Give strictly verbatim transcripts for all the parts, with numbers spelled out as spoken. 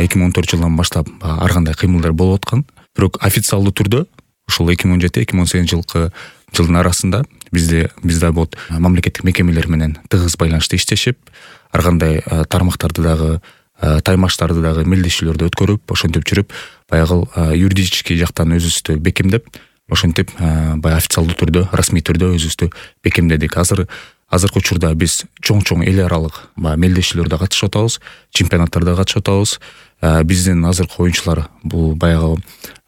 эки миң он төртүнчү жылдан баштап ар кандай кыймылдар болуп аткан. Бирок официалдуу түрдө ушул эки миң он жети эки миң он сегизинчи жылкы жылдын арасында бизде бизде вот мамлекеттик мекемелер менен тыгыз байланышта иштешип, ар кандай тармактарды дагы, таймаштарды дагы мелдешүүлөрдү өткөрүп, ошентип жүрүп, баягы юридический жактан өзүбүздү бекемдеп, ошентип баягы официалдуу түрдө, расмий түрдө өзүбүздү бекемдедик. Азыр азыркы учурда биз чоң-чоң эл аралык баягы мелдешүүлөрдө катышып атабыз, чемпионаттарда катышып атабыз. Биздин азыркы оюнчулар бул баягы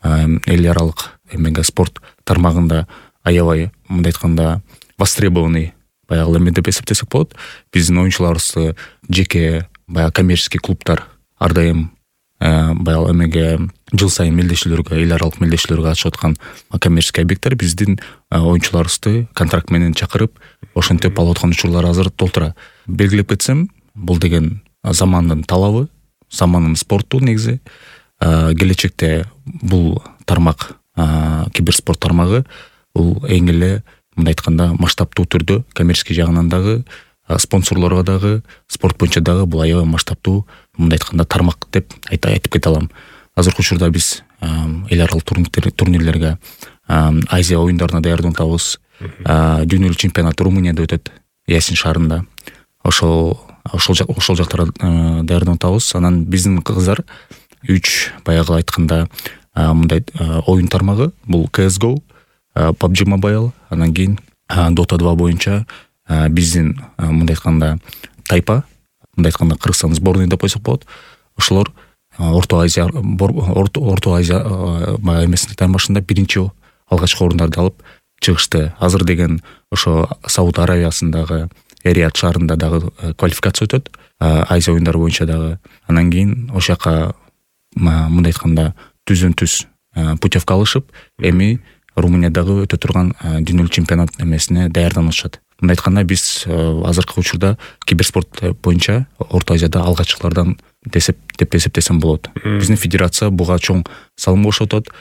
эл аралык эмеге спорт тармагында аябай мындай айтканда востребованный баягы эме деп эсептесек болот. Биздин оюнчуларыбызды жеке баягы коммерческий клубтар ар дайым баягы эмеге жыл сайын мелдешүүлөргө, эл аралык мелдешүүлөргө катышып аткан коммерческий объекттер биздин оюнчуларыбызды контракт менен чакырып, ошентип алып аткан учурлар азыр толтура. Белгилеп кетсем, бул деген замандын талабы, заманын спорту негизи. Келечекте бул тармак, киберспорт тармагы, бул эң эле мындай айтканда масштабтуу түрдө коммерческий жагынан дагы, спонсорлорго дагы, спорт боюнча дагы бул аябай масштабтуу мындай айтканда тармак деп айтып кете алам. Азыркы учурда биз эл аралык турнирлерге, Азия оюндарына даярданып атабыз. Дүйнөлүк чемпионат Румынияда өтөт, Ясин шаарында. Ошол ошол ошол жактарга даярданып атабыз. Анан биздин кыздар үч баягы айтканда мындай оюн тармагы, бул си эс го, пабг Mobile, анан кийин Dota два боюнча биздин мындай айтканда тайпа, мындай айтканда Кыргызстан сборной деп койсок болот. Ошолор Орто Азия Орто Азия эмесинин таймашында биринчи алгачкы орундарды алып чыгышты. Азыр деген ошо Сауд Аравиясындагы Эрият шаарында дагы квалификация өтөт, Азия оюндары боюнча дагы. Анан кийин ошол жака мындай айтканда түздөн-түз путевка алышып, эми Румыниядагы өтө турган дүйнөлүк чемпионат эмесине даярданышат. Мындай айтканда биз азыркы учурда киберспорт боюнча Орто Азияда алгачкылардан деп эсептесем болот. Биздин федерация буга чоң салым кошуп атат.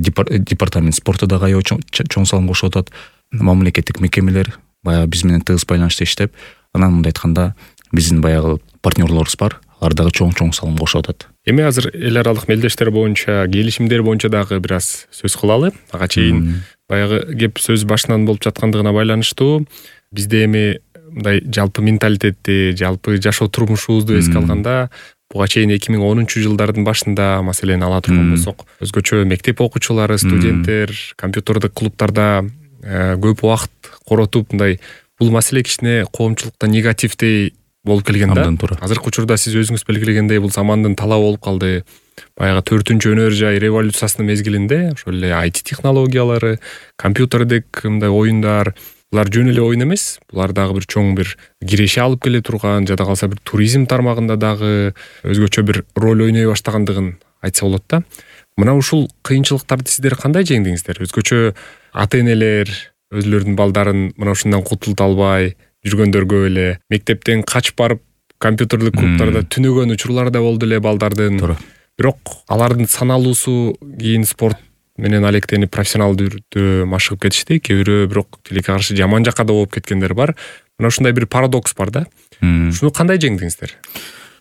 Департамент спорту дагы аябай чоң салым кошуп атат. Мамлекеттик мекемелер баягы биз менен тыгыз байланышта иштеп, анан мындай айтканда биздин баягы партнерлорубуз бар, алар дагы чоң-чоң салым кошуп атат. Эми азыр эл аралык мелдештер боюнча, келишимдер боюнча дагы бир аз сөз кылалы. Ага чейин баягы кеп сөз башынан болуп жаткандыгына байланыштуу, бизде эми мындай жалпы менталитетти, жалпы жашоо турмушубузду эске алганда, буга чейин эки миң онунчу жылдардын башында, маселени ала турган болсок, өзгөчө мектеп окуучулары, студенттер компьютердик клубтарда көп убакыт коротуп, мындай бул маселе кичине коомчулукта негативдей болуп келген да. Азыркы учурда сиз өзүңүз белгилегендей, бул замандын талабы болуп калды. Баягы төртүнчү өнөр жай революциясынын мезгилинде ошол эле ай ти технологиялары, компьютердик мындай оюндар, булар жөн эле оюн эмес, булар дагы бир чоң бир киреше алып келе турган, жада калса бир туризм тармагында дагы өзгөчө бир роль ойной баштагандыгын айтса болот да. Мына ушул кыйынчылыктарды сиздер кандай жеңдиңиздер? Өзгөчө ата-энелер өзлөрүнүн балдарын мына ушундан кутулта албай жүргөндөргө эле мектептен качып барып компьютердик клубтарда түнөгөн учурлар да болду эле балдардын. Бирок алардын саналуусу кийин спорт менен алектенип профессионалдуу түрдө машыгып кетишти. Кээ бирөө бирок тилекке каршы жаман жакка да болуп кеткендер бар. Мына ушундай бир парадокс бар да. Ушуну кандай жеңдиңиздер?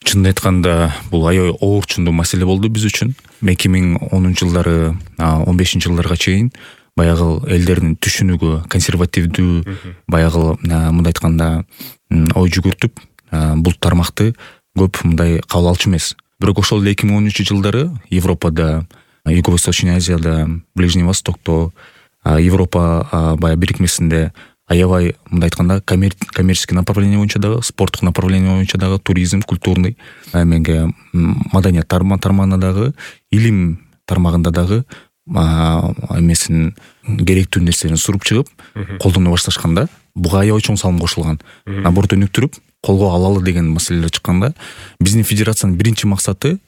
Чынын айтканда, бул аябай оорчундуу маселе болду биз үчүн. эки миң онунчу жылдары, он бешинчи жылдарга чейин баягы элдердин түшүнүгү консервативдүү, баягы мындай айтканда ой жүгүртүп, бул тармакты көп мындай кабыл алчу эмес. Бирок ошол эле эки миң онунчу жылдары Европада, Юго-Восточный Азияда, Ближний Востокто, Европа баягы бирикмесинде аябай мындай айтканда коммерческий направление боюнча дагы, спорттук направление боюнча дагы, туризм, культурный, эмеге маданият тармагында дагы, илим тармагында дагы эмесин керектүү нерсени суруп чыгып, колдоно башташканда, буга аябай чоң салым кошулган. Наоборот, өнүктүрүп, колго алалы деген маселелер чыкканда, биздин федерациянын биринчи максаты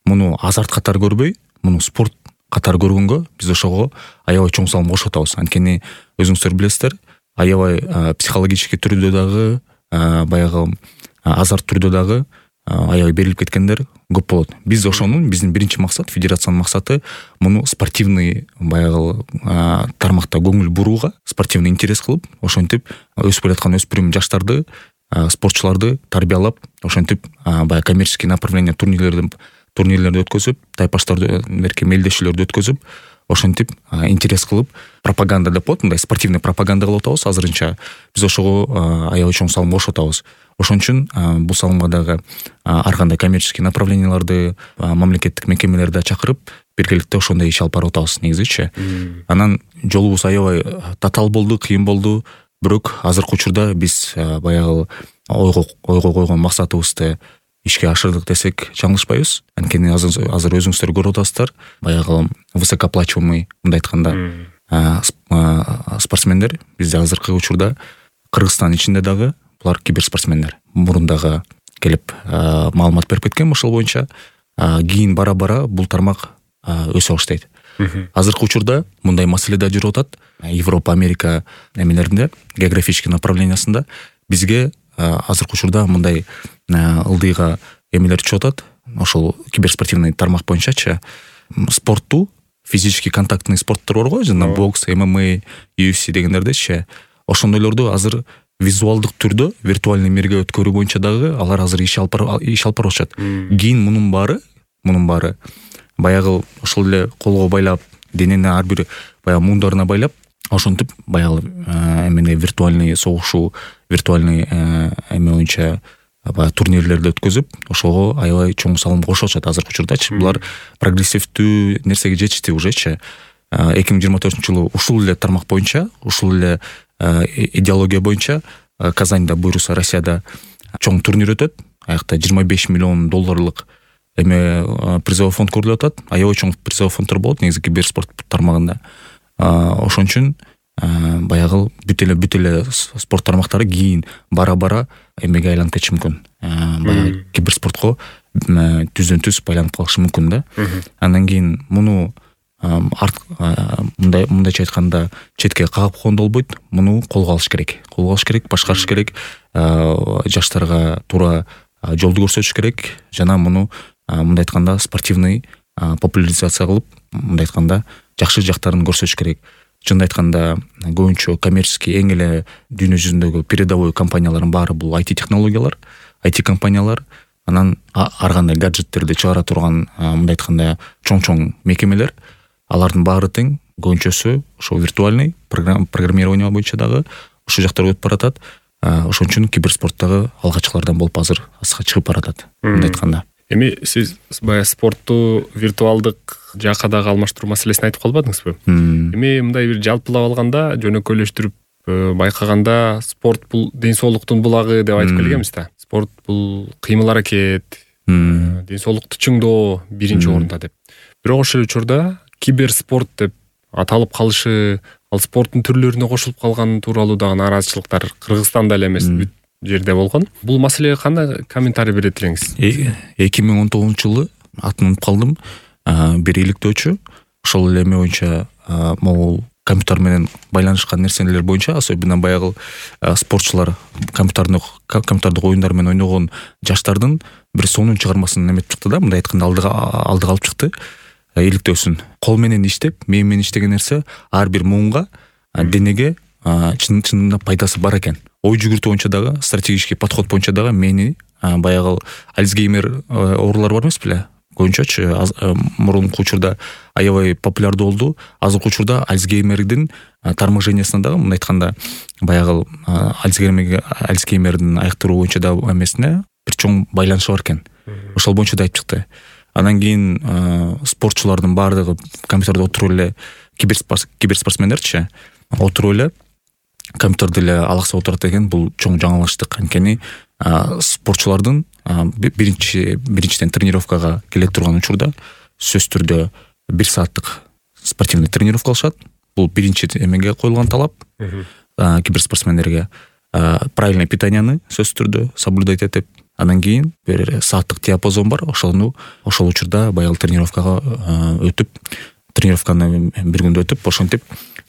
муну азарт катары көрбөй, муну спорт катары көргөнгө биз ошого аябай чоң салым кошуп атабыз. Анткени өзүңүздөр билесиздер, аябай психологический түрдө дагы, баягы азарт түрдө дагы аябай берилип кеткендер көп болот. Биз ошонун биздин биринчи максат, федерациянын максаты муну спортивный баягы тармакта көңүл бурууга, спортивный интерес кылып, ошентип өсүп келаткан өспүрүм жаштарды, спортчуларды тарбиялап, ошентип баягы коммерческий направление турнирлердин турнирлерди өткөзүп, тайпаштарды берки мелдешүүлөрдү өткөзүп, ошентип интерес кылып, пропаганда деп коет, мындай спортивный пропаганда кылып атабыз азырынча. Биз ошого аябай чоң салым кошуп атабыз. Ошон үчүн бул салымга дагы ар кандай коммерческий направленияларды, мамлекеттик мекемелерди чакырып, биргеликте ошондой иш алып барып атабыз негизичи. Анан жолубуз аябай татаал болду, кыйын болду, бирок азыркы учурда биз баягы ойго ойго койгон максатыбызды ишке ашырдык десек жаңылышпайбыз. Анткени азыр азыр өзүңүздөр көрүп атасыздар, баягы высокооплачиваемый, мындай айтканда, спортсмендер бизде азыркы учурда Кыргызстан ичинде дагы булар киберспортсмендер. Мурун дагы келип маалымат берип кеткен ошол боюнча. Кийин бара-бара бул тармак өсө баштайт. Азыркы учурда мындай маселе да жүрүп атат. Европа, Америка эмелеринде, географический направлениясында бизге азыркы учурда мындай ылдыйга эмелер түшүп атат. Ошол киберспортивный тармак боюнчачы спортту, физический контактный спорттор барго, жана бокс, эм эм а, ю эф си дегендердечи, ошондойлорду азыр визуалдык түрдө виртуальный мирге өткөрүү боюнча дагы алар азыр иш алып иш алып барышат. Кийин мунун баары, мунун баары баягы ошол эле колго байлап, денени ар бир баягы муундарына байлап, ошентип баягы эмне виртуальный согушу, виртуальный эме боюнча баягы турнирлерди өткөзүп, ошого аябай чоң салым кошуп атышат азыркы учурдачы. Булар прогрессивдүү нерсеге жетишти ужечи. эки миң жыйырма төртүнчү жылы ушул эле тармак боюнча, ушул эле идеология боюнча Казанда, буюрса Россияда чоң турнир өтөт. Аякта жыйырма беш миллион долларлык эме призовой фонд көрүлүп атат. Аябай чоң призовой фонддор болот негизи киберспорт тармагында. Ошон үчүн баягы бүт эле бүт эле спорт тармактары кийин бара-бара эмеге айланып кетиши мүмкүн. Баягы киберспортко түздөн түз байланып калышы мүмкүн да. Андан кийин муну мындай мындайча айтканда четке кагып койгондо болбойт. Муну колго алыш керек. Колго алыш керек, башкарыш керек. Жаштарга туура жолду көрсөтүш керек. Жана муну мындай айтканда спортивный популяризация кылып, мындай айтканда жакшы жактарын көрсөтүш керек. Чынын айтканда көбүнчө коммерческий эң эле дүйнө жүзүндөгү передовой компаниялардын баары бул ай ти технологиялар, ай ти компаниялар, анан ар кандай гаджеттерди чыгара турган мындай айтканда чоң-чоң мекемелер, алардын баары тең көбүнчөсү ошо виртуальный программирование боюнча дагы ошол жактарга өтүп баратат. Ошон үчүн киберспорттогу алгачкылардан болуп азыр аска чыгып баратат мындай айтканда. Эми сиз баягы спортту виртуалдык жакка дагы алмаштыруу маселесин айтып калбадыңызбы? Эми мындай бир жалпылап алганда, жөнөкөйлөштүрүп байкаганда спорт бул ден соолуктун булагы деп айтып келгенбиз да. Спорт бул кыймыл аракет, ден соолукту чыңдоо биринчи орунда деп. Бирок ошол учурда киберспорт деп аталып калышы, ал спорттун түрлөрүнө кошулуп калганы тууралуу дагы нааразычылыктар Кыргызстанда эле эмес, бүт жерде болгон. Бул маселеге кандай комментарий берет элеңиз? эки миң он тогузунчу жылы атын унутуп калдым. Бир иликтөөчү ошол эле эме боюнча могул компьютер менен байланышкан нерселер боюнча, особенно баягы спортчулар компьютердик компьютердик оюндар менен ойногон жаштардын бир сонун чыгармасын эметип чыкты да, мындай айтканда алдыга алдыга алып чыкты. Иликтөөсүн кол менен иштеп, мээ менен иштеген нерсе ар бир муунга, денеге чынында пайдасы бар экен. Ой жүгүртүү боюнча дагы, стратегический подход боюнча дагы мени баягы Альцгеймер оорулары бар эмес беле? Көбүнчөчү мурунку учурда аябай популярдуу болду. Азыркы учурда Альцгеймердин тармакжениясына дагы мындай айтканда баягы Альцгеймердин айыктыруу боюнча да эмесине бир чоң байланышы бар экен. Ошол боюнча да айтып чыкты. Андан кийин спортчулардын баардыгы компьютерде отуруп эле киберспортсмендерчи отуруп эле компьютерде эле алаксап отурат экен. Бул чоң жаңылыштык. Анткени спортчулардын биринчи биринчиден тренировкага келе турган учурда сөзсүз түрдө бир сааттык спортивный тренировка кылышат. Бул биринчи эмеге коюлган талап киберспортсмендерге. Правильное питанияны сөзсүз түрдө соблюдать этип, андан кийин бир сааттык диапазон бар. Ошону ошол учурда баягы тренировкага өтүп, тренировканы бир күндө өтүп, ошентип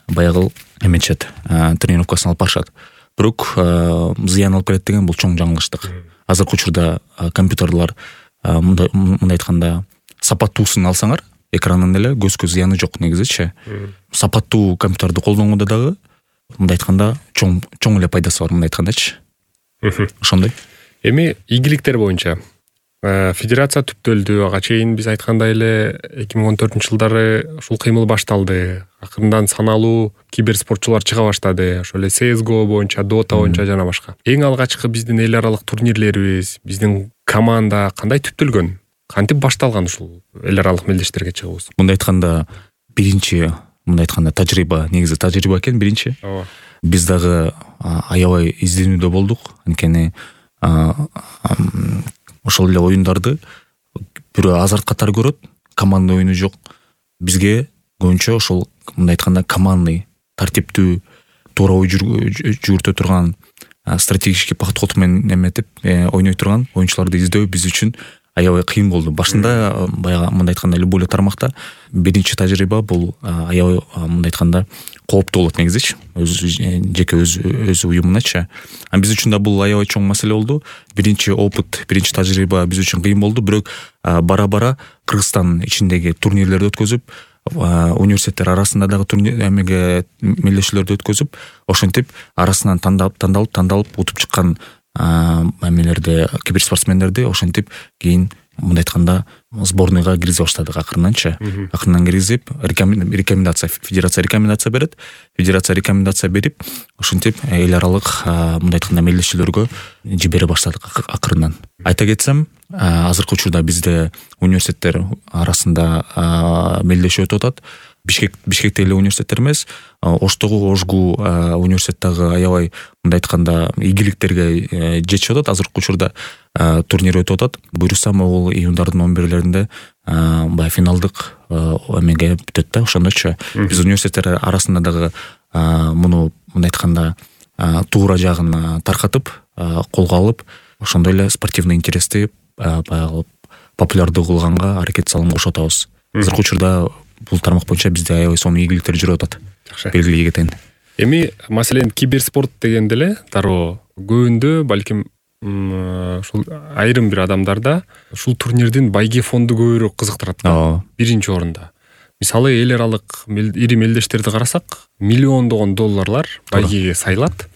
баягы эметишет, тренировкасын алып барышат. Бирок зыян алып келет деген бул чоң жаңылыштык. Азыркы учурда компьютерлар мындай айтканда сапаттуусун алсаңар, экранын эле көзгө зыяны жок негизичи. Сапаттуу компьютерди колдонгондо дагы мындай айтканда чоң чоң эле пайдасы бар, мындай айткандачы. Ошондой. Эми ийгиликтер боюнча федерация түптөлдү. Ага чейин биз айткандай эле эки миң он төртүнчү жылдары ушул кыймыл башталды. Акырындан саналуу киберспортчулар чыга баштады. Ошол эле си эс го боюнча, Dota боюнча жана башка. Эң алгачкы биздин эл аралык турнирлерибиз, биздин команда кандай түптөлгөн? Кантип башталган ушул эл аралык мелдештерге чыгуубуз? Мындай айтканда биринчи, мындай айтканда тажрыйба, негизи тажрыйба экен биринчи. Ооба. Биз дагы аябай изденүүдө болдук. Анткени ошол эле оюндарды бирөө азарт катары көрөт, команда оюну жок. Бизге көбүнчө ошол мындай айтканда командный, тартиптүү, туура ой жүгүртө турган, стратегический подход менен эметип ойной турган оюнчуларды издөө биз үчүн аябай кыйын болду. Башында баягы мындай айтканда любой эле тармакта биринчи тажрыйба бул аябай мындай айтканда кооптуу болот негизичи. Өз жеке өз өз уюмуначы. А биз үчүн да бул аябай чоң маселе болду. Биринчи опыт, биринчи тажрыйба биз үчүн кыйын болду, бирок бара-бара Кыргызстан ичиндеги турнирлерди өткөзүп, университеттер арасында дагы турнир эмеге мелдешүүлөрдү өткөзүп, ошентип арасынан тандалып, тандалып, тандалып утуп чыккан эмелерди, киберспортсмендерди ошентип кийин мындай айтканда сборныйга киргизе баштадык акырынанчы. Акырынан киргизип, рекомендация, федерация рекомендация берет. Федерация рекомендация берип, ошентип эл аралык мындай айтканда мелдешүүлөргө жибере баштадык акырынан. Айта кетсем, азыркы учурда бизде университеттер арасында мелдешүү өтүп атат. Бишкек Бишкекте эле университеттер эмес, Оштогу, Ошгу университет дагы аябай мындай айтканда ийгиликтерге жетишип атат. Азыркы учурда турнир өтүп атат. Буюрса могул июндардын он бирлеринде баягы финалдык эмеге бүтөт да, ошондочу. Биз университеттер арасында дагы муну мындай айтканда туура жагын таркатып, колго алып, ошондой эле спортивный интерести баягы популярдуу кылганга аракет салым кошуп атабыз. Азыркы учурда бул тармак боюнча бизде аябай сонун ийгиликтер жүрүп атат. Жакшы. Белгилей кетейин. Эми маселен киберспорт дегенде эле дароо көбүндө балким ушул айрым бир адамдарда ушул турнирдин байге фонду көбүрөөк кызыктырат да. Биринчи орунда. Мисалы эл аралык ири мелдештерди карасак, миллиондогон долларлар байгеге сайылат.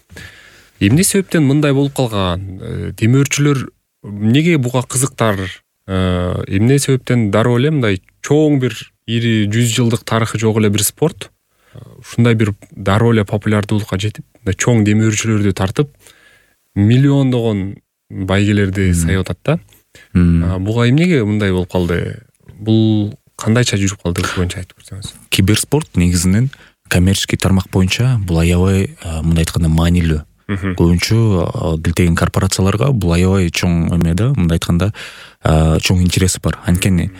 Эмне себептен мындай болуп калган? Демөөрчүлөр эмнеге буга кызыктар? Эмне себептен дароо эле мындай чоң бир ири жүз жылдык тарыхы жок эле бир спорт ушундай бир дароо эле популярдуулукка жетип, чоң демөөрчүлөрдү тартып, миллиондогон байгелерди сайып атат да. Буга эмнеге мындай болуп калды? Бул кандайча жүрүп калды боюнча айтып көрсөңүз. Киберспорт негизинен коммерческий тармак боюнча бул аябай мындай айтканда маанилүү. Көбүнчө килтеген корпорацияларга бул аябай чоң эме да, мындай айтканда чоң интереси бар. Анткени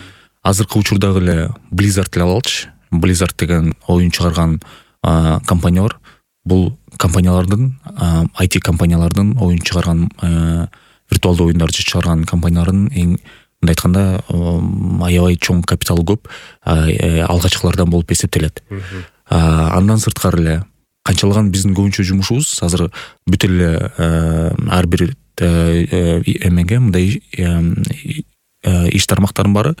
азыркы учурдагы эле Blizzard эле алалычы. Blizzard деген оюн чыгарган компания бар. Бул компаниялардын, ай ти компаниялардын оюн чыгарган, виртуалдуу оюндарды чыгарган компаниялардын эң мындай айтканда аябай чоң капиталы көп алгачкылардан болуп эсептелет. Андан сырткары эле канчалаган биздин көбүнчө жумушубуз азыр бүт эле ар бир эмеге мындай иш тармактарын бары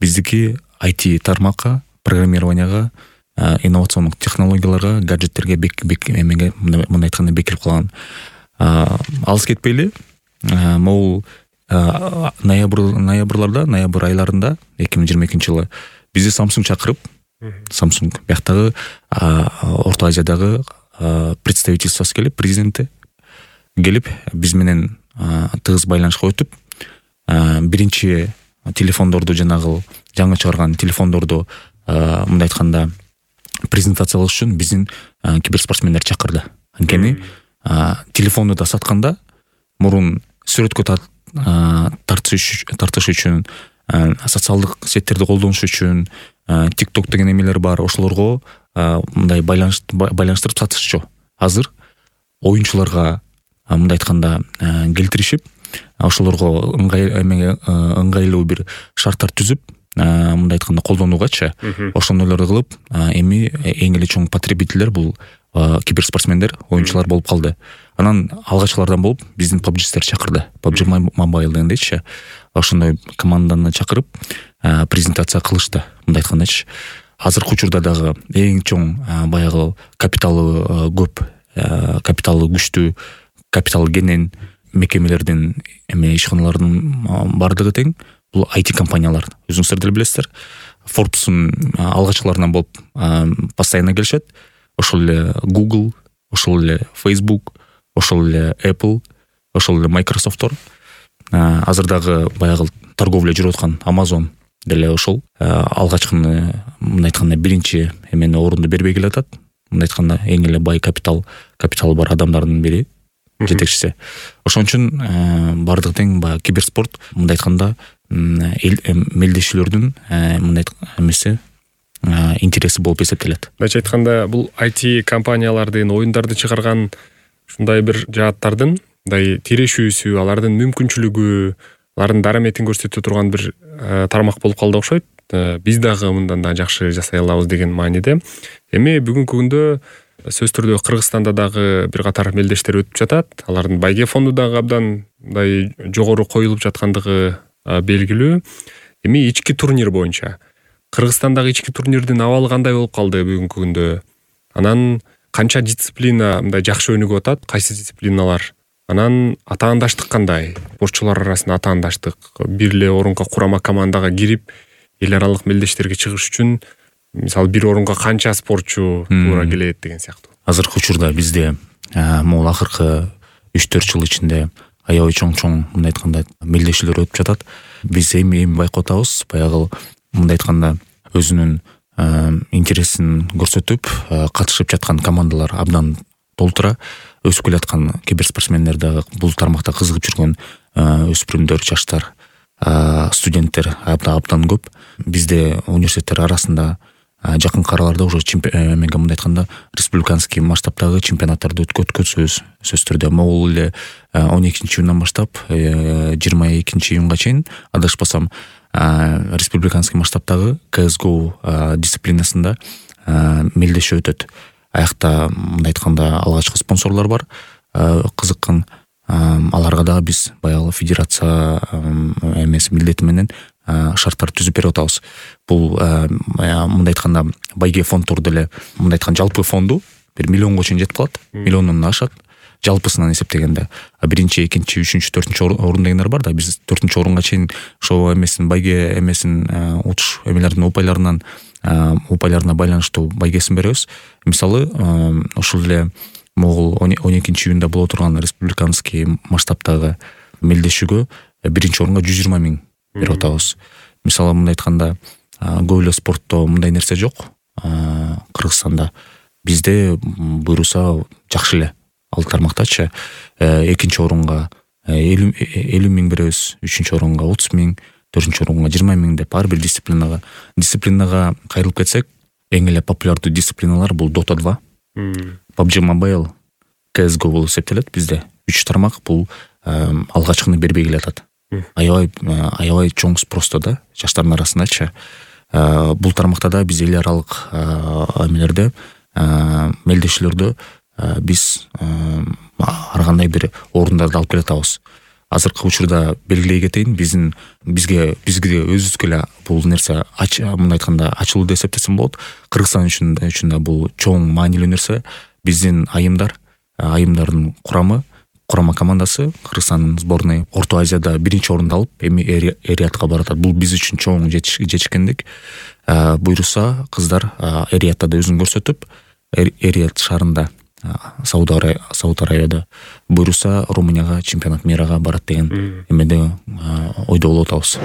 биздики ай ти тармакка, программированияга, инновациондук технологияларга, гаджеттерге бек бек эмеге мындай айтканда бекирип калган. Алыс кетпейли, могул ноябрь ноябрларда, ноябрь айларында эки миң жыйырма экинчи жылы бизди Samsung чакырып, Samsung бияктагы Орто Азиядагы представительствосы келип, президенти келип биз менен тыгыз байланышка өтүп, биринчи телефондорду жанагы жаңы чыгарган телефондорду мындай айтканда презентациялаш үчүн биздин киберспортсмендер чакырды. Анткени телефонду да сатканда мурун сүрөткө тартыш үчүн, социалдык сеттерди колдонуш үчүн, TikTok деген эмелер бар, ошолорго мындай байланыштырып сатышчу. Азыр оюнчуларга мындай айтканда келтиришип, ошолорго ыңгайлуу бир шарттар түзүп, мындай айтканда колдонуугачы, ошондойлорду кылып, эми эң эле чоң потребительдер бул киберспортсмендер, оюнчулар болуп калды. Анан алгачкылардан болуп биздин пабжистер чакырды. пабжи Mobile дегендейчи. Ошондой команданы чакырып презентация кылышты, мындай айткандачы. Азыркы учурда дагы эң чоң баягы капиталы көп, капиталы күчтүү, капиталы кенен мекемелердин эме ишканалардын бардыгы тең бул ай ти компаниялар. Өзүңүздөр деле билесиздер. Forbes'ун алгачкыларынан болуп постоянно келишет. Ошол эле Google, ошол эле Facebook, ошол эле Apple, ошол эле Microsoft'тор. Азыр дагы баягы торговля жүрүп аткан Amazon деле ошол алгачкыны мындай айтканда биринчи эмени орунду бербей келатат. Мындай айтканда эң эле бай капитал капиталы бар адамдардын бири, жетекчиси. Ошон үчүн бардыгы тең баягы киберспорт мындай айтканда мелдешүүлөрдүн мындай эмеси интереси болуп эсептелет. Мындайча айтканда бул ай ти компаниялардын оюндарды чыгарган ушундай бир жааттардын мындай тирешүүсү, алардын мүмкүнчүлүгү, алардын дараметин көрсөтө турган бир тармак болуп калды окшойт. Биз дагы мындан да жакшы жасай алабыз деген мааниде. Эми бүгүнкү күндө сөзсүз түрдө Кыргызстанда дагы бир катар мелдештер өтүп жатат. Алардын байге фонду дагы абдан мындай жогору коюлуп жаткандыгы белгилүү. Эми ички турнир боюнча Кыргызстандагы ички турнирдин абалы кандай болуп калды бүгүнкү күндө? Анан канча дисциплина мындай жакшы өнүгүп атат? Кайсы дисциплиналар? Анан атаандаштык кандай? Спортчулар арасында атаандаштык, бир эле орунга курама командага кирип, эл аралык мелдештерге чыгыш үчүн мисалы бир орунга канча спортчу туура келет деген сыяктуу. Азыркы учурда бизде могул акыркы үч төрт жыл ичинде аябай чоң-чоң мындай айтканда мелдешүүлөр өтүп жатат. Биз эми эми байкап атабыз, баягы мындай айтканда өзүнүн интересин көрсөтүп катышып жаткан командалар абдан толтура. Өсүп келаткан киберспортсмендер дагы бул тармакта кызыгып жүргөн өспүрүмдөр, жаштар, студенттер абдан көп. Бизде университеттер арасында жакынкы араларда уже эмеге мындай айтканда республиканский масштабтагы чемпионаттарды өткөзөбүз. Сөзсүз түрдө могул эле он экинчи июндан баштап жыйырма экинчи июнга чейин адашпасам республиканский масштабтагы си эс го дисциплинасында мелдешүү өтөт. Аякта мындай айтканда алгачкы спонсорлор бар, кызыккан. Аларга дагы биз баягы федерация эмеси милдети менен шарттар түзүп берип атабыз. Бул мындай айтканда байге фонддор деле мындай айтканда жалпы фонду бир миллионго чейин жетип калат, миллиондон ашат жалпысынан эсептегенде. Биринчи, экинчи, үчүнчү, төртүнчү орун дегендер бар да, биз төртүнчү орунга чейин ошо эмесин байге эмесин утуш эмелердин упайларынан упайларына байланыштуу байгесин беребиз. Мисалы ошол эле могул он экинчи июнда боло турган республиканский масштабтагы мелдешүүгө биринчи орунга жүз жыйырма миң берип атабыз. Мисалы мындай айтканда көп эле спортто мындай нерсе жок. Кыргызстанда бизде буйруса жакшы эле ал тармактачы экинчи орунга элүү миң беребиз, үчүнчү орунга отуз миң, төртүнчү орунга жыйырма миң деп ар бир дисциплинага дисциплинага кайрылып кетсек, эң эле популярдуу дисциплиналар бул Dota два, пабжи Mobile, си эс го болуп эсептелет. Бизде үч тармак бул алгачкыны бербей келатат. Аябай аябай чоң спросто да жаштардын арасындачы. Бул тармакта да биз эл аралык эмелерде мелдешүүлөрдө биз ар кандай бир орундарды алып келатабыз. Азыркы учурда белгилей кетейин, биздин бизге бизге өзүбүзгө эле бул нерсе мындай айтканда ачылуу деп эсептесем болот. Кыргызстан үчүн үчүн да бул чоң маанилүү нерсе. Биздин айымдар, айымдардын курамы, курама командасы Кыргызстандын сборной Орто Азияда биринчи орунду алып, эми эриятка баратат. Бул биз үчүн чоң жетишкендик. Буйруса кыздар эриятта да өзүн көрсөтүп, Эрият шаарында Сауд Арабияда буйруса Румынияга чемпионат мирага барат деген эмеде ойдо болуп атабыз.